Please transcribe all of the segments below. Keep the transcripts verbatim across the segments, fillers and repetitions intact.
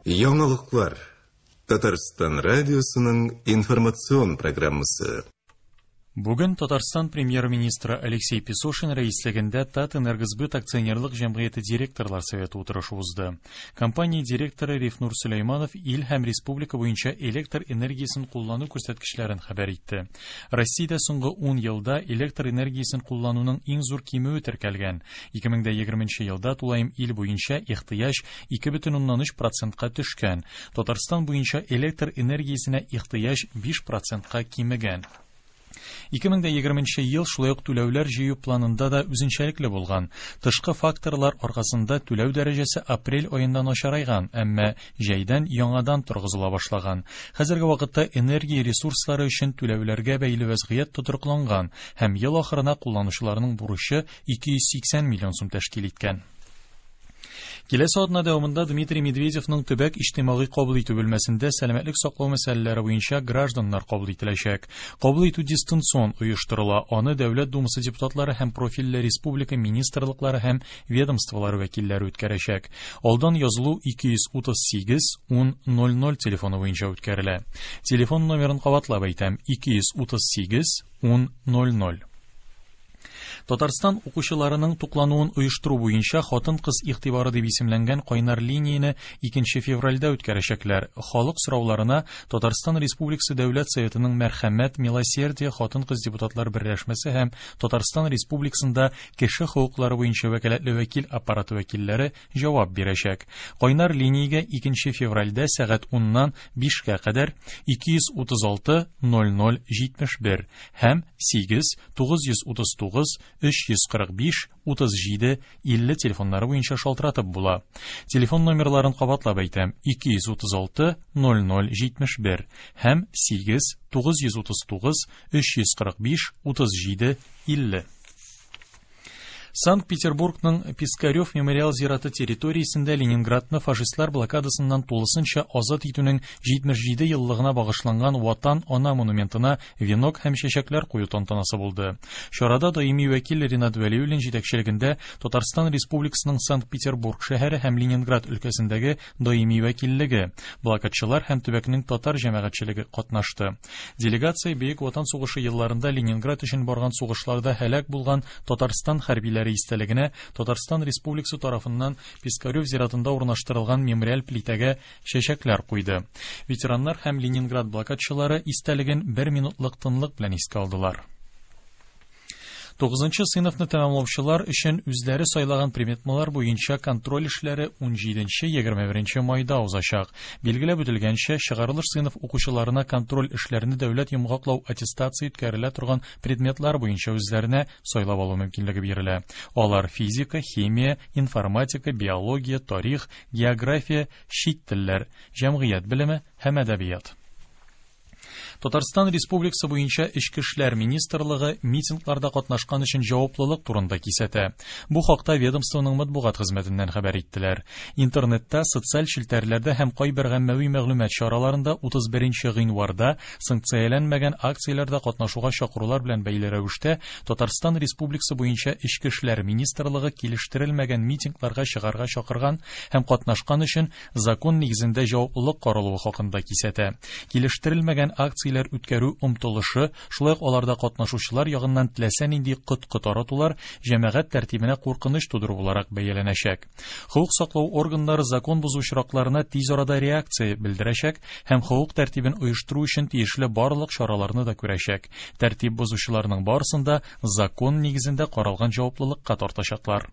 Яңалыклар. Татарстан радиосының информацион программасы. Бүген Татарстан премьер-министры Алексей Песошин рәислегендә Татэнергосбыт акционерлык җәмгыяте директорлар советы утырышы узды. Компания директоры Рифнур Сөләйманов ил һәм республика буенча электр энергиясен куллану күрсәткечләрен хәбәр итте. Россиядә соңгы ун елда электр энергиясен куллануның иң зур кимүе теркәлгән. ике мең егерменче елда тулаем ил буенча ихтыяҗ ике бөтен уннан өч процентка төшкән. Татарстан буенча электр энергиясенә ихтыяҗ биш процентка кимегән. ике мең егерменче ел шулай ук түләүләр җыю планында да үзенчәлекле булган. Тышкы факторлар аркасында түләү дәрәҗәсе апрель аенда начарайган, әмма җәйдән яңадан торгызыла башлаган. Хәзерге вакытта энергия ресурслары өчен түләүләргә бәйле вәзгыять тотрыкланган һәм ел ахырына кулланучыларның бурычы ике йөз сиксән миллион сум тәшкил иткән. Киләсе атна дәвамында Дмитрий Медведевның төбәк иҗтимагый кабул итү бүлмәсендә сәламәтлек саклау мәсьәләләре буенча гражданнар кабул ителәчәк. Кабул итү дистанцион оештырыла. Аны Дәүләт Думасы депутатлары һәм профильле республика министрлыклары һәм ведомстволары вәкилләре үткәрәчәк. Алдан язылу ике йөз утыз сигез ун ноль ноль телефоны буенча үткәрелә. Телефон номерын кабатлап әйтәм: ике йөз утыз сигез ун ноль ноль. Татарстан укучыларының туклануын оештыру буенча хатын-кыз игътибары дип исемләнгән кайнар линияне икенче февральдә үткәрәчәкләр. Халык сорауларына Татарстан Республикасы Дәүләт Советының Мәрхәмәт, Милосердие хатын-кыз депутатлар берләшмәсе һәм Татарстан Республикасында кеше хокуклары буенча вәкаләтле вәкил аппараты вәкилләре җавап бирәчәк. Кайнар линиягә икенче февральдә сәгать уннан бишкә кадәр ике йөз утыз алты ноль ноль җитмеш бер һәм сигез тугыз йөз утыз тугыз өч йөз кырык биш утыз җиде илле телефоннары буенча шалтыратып була. Телефон номерларын кабатлап әйтәм: ике йөз утыз алты ноль ноль җитмеш бер һәм сигез тугыз йөз утыз тугыз өч йөз кырык биш утыз җиде илле. Санкт-Петербургның Пискарев мемориал зираты территориясендә Ленинградны фашистлар блокадасыннан тулысынча азат итүнең җитмеш җиде еллыгына багышланган Ватан ана монументына венок һәм чәчәкләр кую тантанасы булды. Чарада даими вәкил Ринат Вәлиуллин җитәкчелегендә Татарстан Республикасының Санкт-Петербург шәһәре һәм Ленинград өлкәсендәге даими вәкиллеге, блокадчылар һәм төбәкнең татар җәмәгатьчелеге катнашты. Делегация Бөек Ватан сугышы елларында Ленинград өчен барган сугышларда һәлак булган Татарстан хәрбиләре истәлегенә Татарстан Республикасы тарафыннан Пискарев зиратында урнаштырылган мемориаль плитәгә чәчәкләр куйды. Ветераннар һәм Ленинград блокадчылары истәлеген бер минутлык тынлык белән искә алдылар. Тугызынчы сыйныфны тәмамлаучылар өчен үзләре сайлаган предметлар буенча контроль эшләре ун җиденче егерме беренче майда узачак. Билгеләп үтелгәнчә, чыгарылыш сыйныф укучыларына контроль эшләрне дәүләт йомгаклау аттестация үткәрелә торган предметлар буенча үзләренә сайлап алу мөмкинлеге бирелә. Алар физика, химия, информатика, биология, тарих, география, чит телләр, җәмгыять белеме һәм әдәбият. Татарстан Республикасы буенча Эчке эшләр министрлыгы митингларда катнашкан өчен җаваплылык турында кисәтә. Бу хакта ведомствоның матбугат хезмәтеннән хәбәр иттеләр. Интернетта, социаль челтәрләрдә һәм кайбер гаммәви мәгълүмат чараларында утыз беренче гыйнварда санкцияләнмәгән акцияләрдә катнашуга чакырулар белән бәйле рәвештә Татарстан Республикасы буенча Эчке эшләр министрлыгы килештерелмәгән митингларга чыгарга чакырган һәм катнашкан өчен закон нигезендә җаваплылык каралуы хакында кисәтә. Килештерелмәгән акцияләр үткәрү омтылышы, шулай ук аларда катнашучылар ягыннан теләсә нинди коткы таратулар җәмәгать тәртибенә куркыныч тудыру буларак бәяләнәчәк. Хокук саклау органнары закон бозу очракларына тиз арада реакция белдерәчәк һәм хокук тәртибен оештыру өчен тиешле барлык чараларны да күрәчәк. Тәртип бозучыларның барысын да закон нигезендә каралган җаваплылыкка тартачаклар.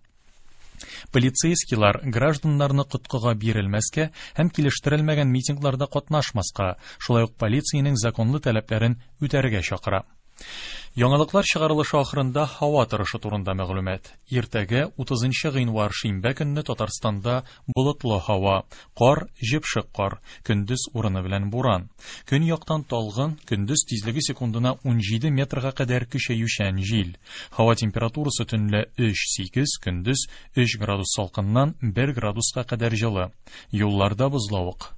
Полицейскийлар гражданнарны коткыга бирелмәскә һәм килештерелмәгән митингларда катнашмаска, шулай ук полициянең законлы таләпләрен үтәргә чакыра. Яңалыклар чыгарылышы ахырында һава торышы турында мәгълүмат. Иртәгә утызынчы гыйнвар шимбә көнне Татарстанда болытлы һава, кар, җепшек кар, көндез урыны белән буран. Көньяктан талгын, көндез тизлеге секундына ун җиде метрга кадәр көчәючән җил. Һава температурасы төнлә өч сигез, көндез өч градус салкыннан бер градуска кадәр җылы. Юлларда бозлавык.